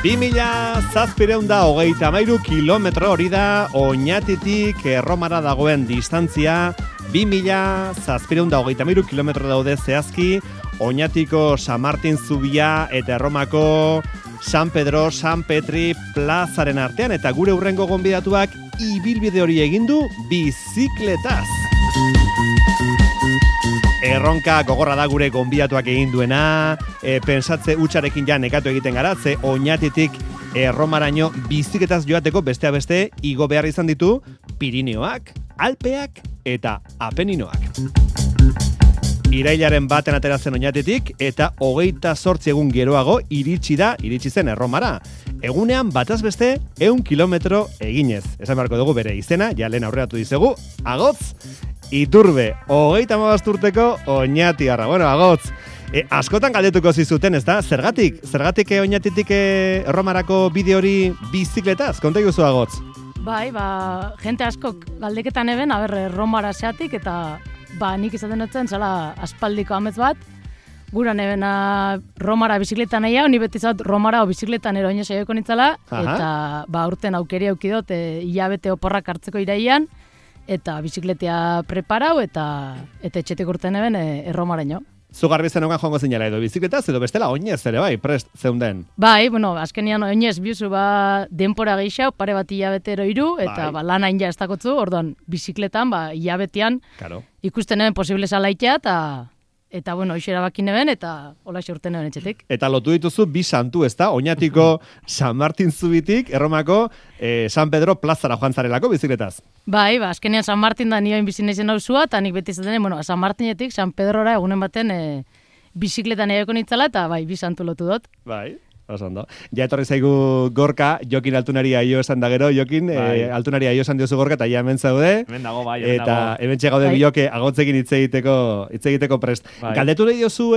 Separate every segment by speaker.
Speaker 1: 2733 kilometro hori da Oñatitik Erromara dagoen distantzia. 2733 kilometro daude zehazki Oñatiko San Martin Zubia eta Erromako San Pedro, San Petri plazaren artean, eta gure hurrengo gonbidatuak ibilbide hori egin du bizikletaz. Erronka gogorra da gure gonbidatuak egin duena, pensatze hutsarekin ja nekatu egiten gara, ze Oñatitik Erromaraino bizikletaz joateko besteak beste igo behar izan ditu Pirineoak, Alpeak eta Apeninoak. Irailaren baten atera zen Oñatitik eta 28 egun geroago iritsi zen Erromara. Egunean bataz beste 100 kilometro eginez. Esan beharko dugu bere izena, ja lehen aurreratu dizegu, Agotz Iturbe, 35 urteko Oñatiarra. Bueno, Agotz, askotan galdetuko zizuten, ez da? Zergatik Oñatitik Erromarako bide hori bizikletaz? Konta iguzu, Agotz.
Speaker 2: Bai, jente askok galdeketan eben, Erromara zeatik, eta nik izaten dutzen, zala aspaldiko amets bat, guran ebena Romara bizikleta nahia, honi beti zat Romara o bizikletan eroine saioko nintzala, eta urten aukeri aukidot, hilabete oporrak hartzeko iraian, eta bizikletea preparau, eta etxetik urten eben Erromaraino.
Speaker 1: Zu garbi zenogan joango zinela edo bizikletaz, edo bestela oinez ere bai, prest zeunden.
Speaker 2: Bai, azkenian oinez biuzu denpora gehiago, pare bat hilabetero iru, eta lana inja ez dakotzu, orduan bizikletan, hilabetean, ikusten eben posible zalaitea, eta hoxe erabakin eben, eta hola urten eben etxetik.
Speaker 1: Eta lotu dituzu bi santu, ez da? Oñatiko San Martin Zubitik, Erromako San Pedro plazara joan zarelako bizikletaz.
Speaker 2: Bai, azkenean San Martin da nioen bizin naizen nauzua, eta nik beti izaten, San Martinetik, San Pedrora egunen baten bizikletan egeko nintzala, eta bi santu lotu dut.
Speaker 1: Bai. Osondo. Ja etorri zaigu Gorka, Jokin Altunari aio esan da gero, Jokin, Altunari aio esan diozu Gorka, eta ja hemen zaude.
Speaker 3: Hemen dago, bai,
Speaker 1: eta hemen txegaude biloke Agotzekin hitz egiteko prest. Galdetu nahi diozu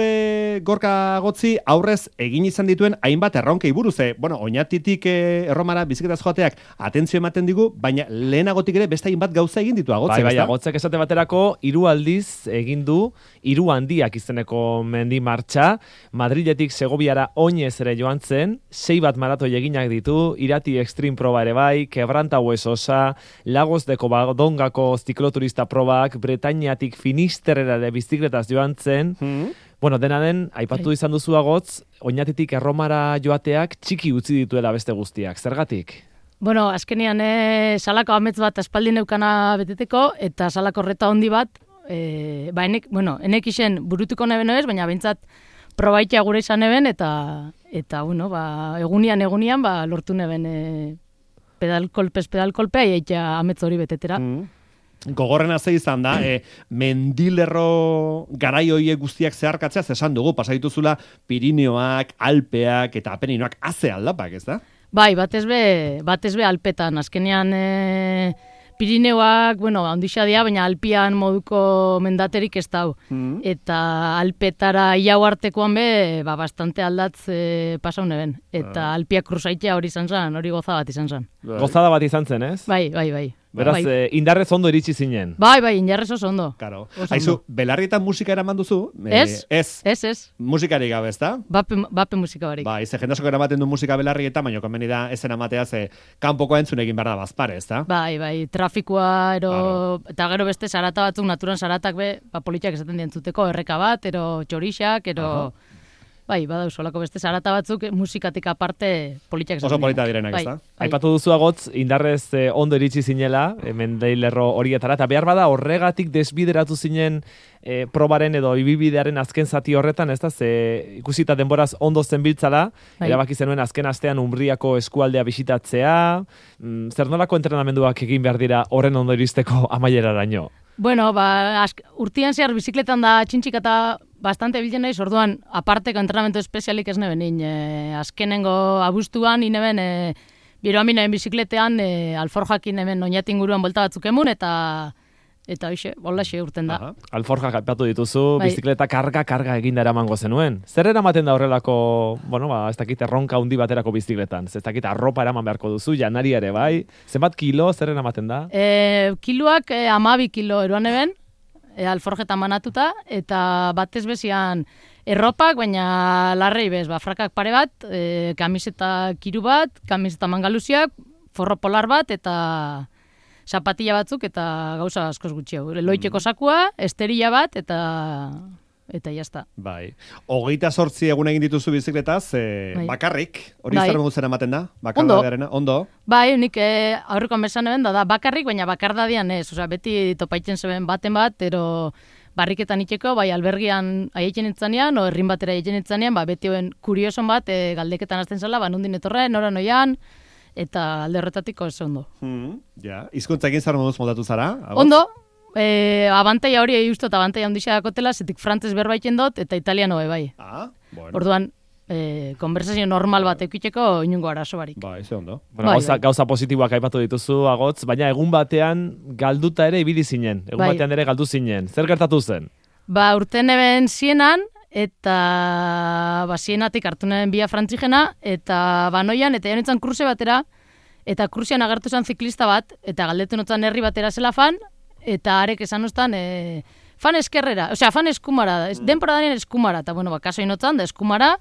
Speaker 1: Gorka Agotzi, aurrez egin izan dituen hainbat erronkei buruz. Oñatitik Erromara bizikletaz joateak atentzio ematen digu, baina lehenagotik ere beste hainbat gauza egin ditu Agotzek.
Speaker 3: Bai, Agotzek esate baterako 3 aldiz egin du 3 handiak izeneko mendi martxa, Madriletik Segoviara oinez ere joan zen, 6 bat maratoi eginak ditu, Irati Extreme proba ere bai, Quebranta Huesosa, Lagos de Covadongako zikloturista probak, Bretañatik Finisterrera de bizikletaz joan zen. Bueno, dena den, aipatu izan duzu Agotz, Oñatitik Erromara joateak txiki utzi dituela beste guztiak. Zergatik?
Speaker 2: Azkenean salako amets bat aspaldi neukana beteteko, eta salako horreta handi bat, enek isen burutuko neben ez, baina bentsat probaitea gure izan eben, eta egunian lortu neben pedal-kolpea eitea amets hori betetera.
Speaker 1: Gogorrena ze izan da, mendilerro garai horiek guztiak zeharkatzea esan dugu, pasaituzula Pirineoak, Alpeak eta Apeninoak haze aldapak, ez da?
Speaker 2: Bai, batez be Alpetan, azkenean Pirineoak, handixa dira, baina Alpian moduko mendaterik ez dau. Eta Alpetara iau artekoan be, bastante aldatz pasaun eben. Eta Alpiak kruzaitea hori izan zen, hori gozada bat izan zen.
Speaker 3: Gozada bat izan zen, ez?
Speaker 2: Bai.
Speaker 3: Beraz, indarrez ondo iritsi zinen.
Speaker 2: Bai, indarrez oso ondo.
Speaker 1: Karo. Aizu, belarrietan musika eraman duzu?
Speaker 2: Ez.
Speaker 1: Musikari gabe, ez da?
Speaker 2: Bape musika barik.
Speaker 1: Bai, ze jendasoko eramaten du musika belarrietan, baina konbeni da ezen amatea ze kanpoko entzun egin behar da bazpare, ez da?
Speaker 2: Bai, trafikoa, eta gero beste sarata batzuk, naturan saratak be, politiak esaten dientzuteko, erreka bat, txorixak, Bai, solako beste sarata batzuk musikatik aparte politiak esaten.
Speaker 1: Oso polita direnak, ez da?
Speaker 3: Aipatu duzu Agotz, indarrez ondo iritsi zinela, mendeilerro horietara, eta behar bada horregatik desbideratu zinen probaren edo ibibidearen azken zati horretan, ez da, ze ikusita denboraz ondo zenbiltzala, erabaki zenuen azken astean Umbriako eskualdea bisitatzea, zer nolako entrenamenduak egin behar dira horren ondo iristeko amaieraraino?
Speaker 2: Urtean zehar bizikletan da txintxik eta bastante biltzen naiz, orduan aparteko entrenamendu espezialik ez neben, azkenengo abuztuan, ineben, biroamin neben bizikletean, alforjakin neben Oñatin guruan bolta batzuk emun, eta hoxe, hoxe urten da.
Speaker 3: Alforjak aipatu dituzu, bizikleta karga eginda eramango zenuen. Zer eramaten da horrelako, ez dakit erronka handi baterako bizikletan? Ez dakit arropa eraman beharko duzu, janari ere bai? Zenbat kilo, zer eramaten da?
Speaker 2: Kiloak 12 kilo eruan eben, alforjetan manatuta, eta batez bezian Erropak, baina larrei bez, frakak pare bat, kamiseta kiru bat, kamiseta mangaluziak, forro polar bat, eta zapatilla batzuk, eta gauza askoz gutxiago. Loiteko sakua, esterilla bat, eta jazta.
Speaker 1: Bai. 28 egun egin dituzu bizikletaz, bakarrik, hori zer modu zen ematen da? Ondo.
Speaker 2: Bai, nik aurreko mesan eben da bakarrik, baina bakardadian ez. Osea, beti topaitzen zeben baten bat, ero barriketan itxeko, bai albergian aieten itzanean, o herrin batera aieten itzanean, beti hoen kurioson bat, galdeketan azten zela, nundin etorren, nora noian, eta alde horretatik oso ondo.
Speaker 1: Hizkuntza egin zara moduz moldatu zara?
Speaker 2: Ondo, abantaia hori eguztot, abantaia ondixea dakotela, zetik frantzez berbaiten dut, eta italiano bai.
Speaker 1: Bueno.
Speaker 2: Orduan, konversazio normal bat eukiteko inungo arazo barik.
Speaker 1: Bai, ze ondo.
Speaker 3: Bueno, gauza positiboak aipatu dituzu, Agotz, baina egun batean galduta ere ibili zinen, batean ere galdu zinen. Zer gertatu zen?
Speaker 2: Urten eben zienan, eta zienatik hartu neben bia frantzigena, eta banoian, eta janitzen kurse batera, eta kursean agertu zen ziklista bat, eta galdetu notzan herri batera zela fan, eta arek esan ustan, fan eskerrera, osea, fan eskumara, denpora danien eskumara, eta bueno, kaso inotzan, da eskumara,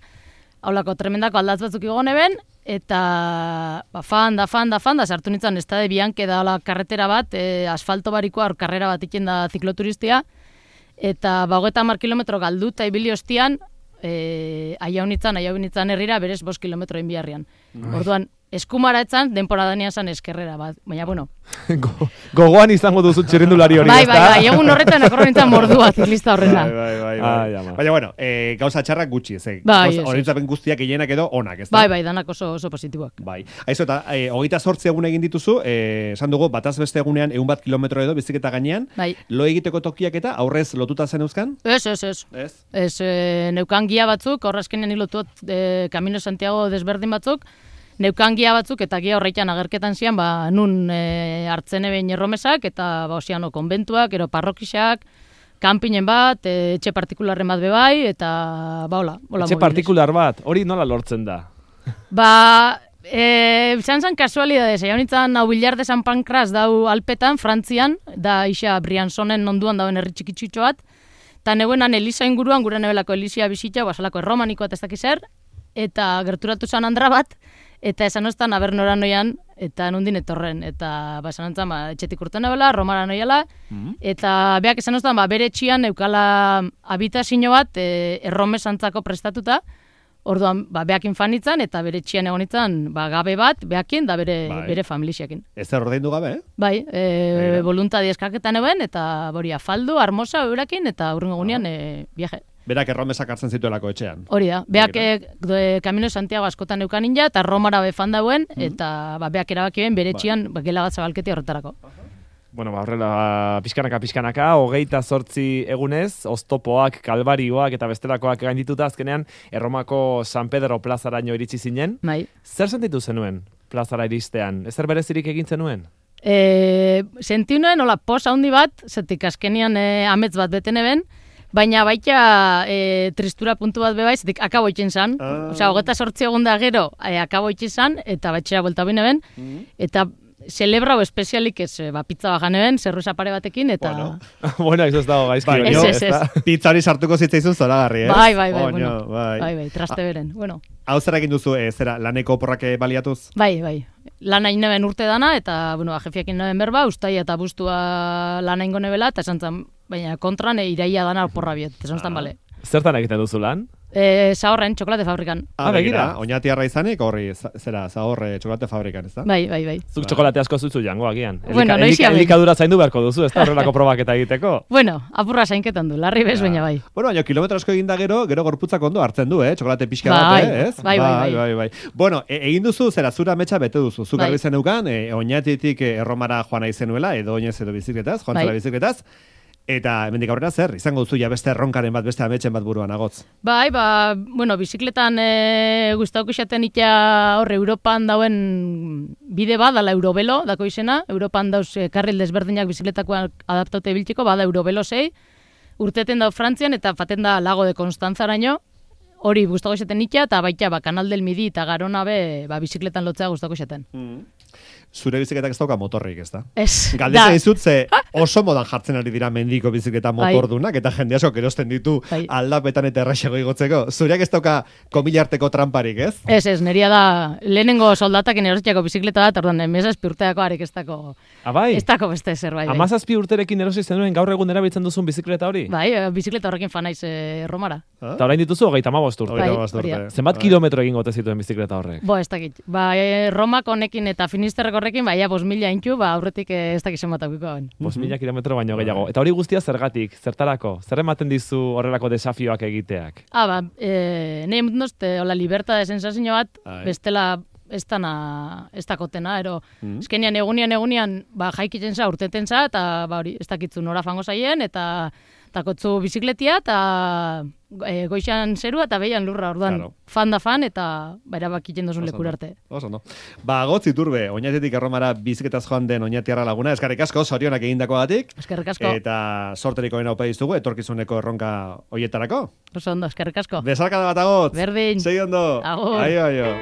Speaker 2: haulako tremendako aldatz batzuk egon eben, eta fan da, sartu nintzen, ez da de bianke da karretera bat, asfalto barikoa, karrera bat iken da zikloturistia, eta 30 kilometro galdu eta ibili ostian, aiaunitzan herrira berez 5 kilometro inbiarrian. Orduan, eskumara etzan, denpora danian zan eskerrera bat, baina, bueno.
Speaker 3: Gogoan izango duzu txirrindulari hori, ez da?
Speaker 2: Bai, egun horretan akorro nintzen mordua ziklista horrena.
Speaker 1: Bai. Baina, bueno, gauza txarrak gutxi, ez? Horretzapen guztiak gehienak edo onak, ez da?
Speaker 2: Bai, danak oso positiboak.
Speaker 1: Bai. Aizu, eta 28 egun egin dituzu, esan dugu, bataz beste egunean 100 kilometro edo biziketa gainean, lo egiteko tokiak eta aurrez lotuta zen euskan?
Speaker 2: Ez, neukan gia batzuk, horrazkenean hilotuot Camino Santiago desberdin batzuk, neukan gia batzuk eta gia horreitan agerketan zian, nun hartzen eben erromesak eta osiano konbentuak, ero parrokisak, kanpinen bat, etxe partikularren bat bebai, eta hola.
Speaker 3: Etxe partikular bat, hori nola lortzen da?
Speaker 2: Izan zan kasualidades, egon nintzen hau Billar de San Pancras dau Alpetan, Frantzian, da isa Brianzonen onduan dauen herri txikitxutxo bat, eta neuenan Elisa inguruan, gure nebelako Elisia bizitza, basalako erromanikoa eta ez dakiz zer, eta gerturatu zan Andra bat, eta esan oztan aber nora noian, eta nundin etorren, eta esan ontzan, etxetik urten nebela, Romara noiala, eta beak esan oztan, bere etxian eukala habitazio bat, erromesantzako prestatuta, orduan, beakin fanitzan, eta bere etxian egonitzan, gabe bat, beakin, da bere familixiakin.
Speaker 1: Ez zer ordaindu gabe,
Speaker 2: Bai, voluntadi eskaketan eben, eta bori afaldu, armosa, eurakin, eta urrengo gunean, viaje.
Speaker 1: Berak erromesak hartzen zituelako etxean.
Speaker 2: Hori da, beak Camino Santiago askotan eukan ninja, eta Romara befan dauen, eta beak erabaki ben bere etxian gela bat zabalketi horretarako.
Speaker 3: Bueno, horrela, pixkanaka, 28 egunez, oztopoak, kalbarioak eta bestelakoak gaindituta azkenean, Erromako San Pedro plazaraino iritsi zinen.
Speaker 2: Bai.
Speaker 3: Zer sentitu zenuen plazara iristean? Ezer berezirik egin zenuen?
Speaker 2: Sentiu nuen, hola, pos handi bat, zetik azkenean amets bat beten eben, baina baita tristura puntu bat bebai, zetik akabo itxen zan. Osea, 28 egun da gero, akabo itxen zan, eta batxera buelta bine ben, eta celebrau espezialik ez, pizza bajan eben, zerruza pare batekin, eta...
Speaker 3: Bueno, ez dago gaizki.
Speaker 2: Ez.
Speaker 1: Pizza hori sartuko zitzaizun zoragarri, ez?
Speaker 2: Bai, traste beren, bueno.
Speaker 1: Hau zer egin duzu, zera, laneko oporrak baliatuz?
Speaker 2: Bai. Lana ineben urte dana, eta, jefiakin neben berba, ustai eta bustua lana ingo nebela, eta esan zan, baina kontran iraia dana oporra biet, esan zan bale.
Speaker 3: Zertan egiten duzu lan?
Speaker 2: Zahorren, txokolate fabrikan.
Speaker 1: Begira, oinati arra izanik, horri, zera, zahorre txokolate fabrikan, ez da?
Speaker 2: Bai.
Speaker 3: Zuk txokolate asko zuzu jango agian.
Speaker 2: Bueno,
Speaker 3: elikadura zaindu beharko duzu, ez da horrelako probaketa egiteko?
Speaker 2: Bueno, apurra zainketan du, larri bez, baina bai.
Speaker 1: Bueno, baina kilometro asko egin da gero gorputzak ondo hartzen du, txokolate pixka bat, ez?
Speaker 2: Bai.
Speaker 1: Bueno, egin duzu, zera, zura metxa bete duzu. Zuk argi zeneukan, oinatitik Erromara joan nahi zenuela, edo oinez edo bizikletaz, joan zela bizikletaz. Eta hemendik aurrera zer, izango duzu ja beste erronkaren bat, beste ametxen bat buruan Agotz.
Speaker 2: Bai, bizikletan gustauko xaten ita horre Europan dauen bide bat, dala Eurobelo, dako izena. Europan dauz karril desberdinak bizikletakoak adaptaute biltzeko, bada Eurobelo 6. Urteten dau Frantzian eta faten da Lago de Constanzaraino. Hori gustauko xaten ita, eta baita Kanal del Midi eta Garona be bizikletan lotzea gustauko xaten.
Speaker 1: zure bizikletak ez dauka motorrik, ez da?
Speaker 2: Ez.
Speaker 1: Galdetzen dizut, ze oso modan jartzen ari dira mendiko bizikleta motordunak, eta jende asko erosten ditu aldapetan eta erraxego igotzeko. Zureak ez dauka komilarteko tramparik, ez?
Speaker 2: Ez, neria da, lehenengo soldatakin erositako bizikleta da, orduan, 17 urteako arek ez dako...
Speaker 3: Abai?
Speaker 2: Ez dako beste zerbait.
Speaker 3: 17 urterekin erosi zenuen gaur egun erabiltzen duzun bizikleta hori?
Speaker 2: Bai, bizikleta horrekin fanaiz Romara.
Speaker 3: Eta orain dituzu 35 urte. Zenbat kilometro egin gote zituen bizikleta horrek?
Speaker 2: Ez dakit. Romak honekin eta Finisterrek horrekin, 5.000 intxu, aurretik ez dakit zenbat aukiko.
Speaker 3: 5.000 kilometro baino gehiago. Eta hori guztia zergatik, zertarako? Zer ematen dizu horrelako desafioak egiteak?
Speaker 2: Nahi emutnoz, libertad de sensazio bat, bestela ez dakotena, ero, ezkenian egunian, jaikitzen za, urteten za, eta ez dakitzu nora fango zaien, eta takotzu bizikletia, eta goixan zerua, eta behian lurra, orduan, fan da fan, eta erabakiten dozun lekura arte.
Speaker 1: Oso, no. Gotz Iturbe, Oñatetik Erromara bizikletaz joan den Oñatiarra laguna, eskerrik asko, zorionak egindakoagatik.
Speaker 2: Eskerrik asko.
Speaker 1: Eta sorteriko bena opa dizugu, etorkizuneko erronka hoietarako.
Speaker 2: Oso ondo, eskerrik asko.
Speaker 1: Besarkada bat agotz.
Speaker 2: Berdin.
Speaker 1: Segi ondo.
Speaker 2: Agur.
Speaker 1: Aio.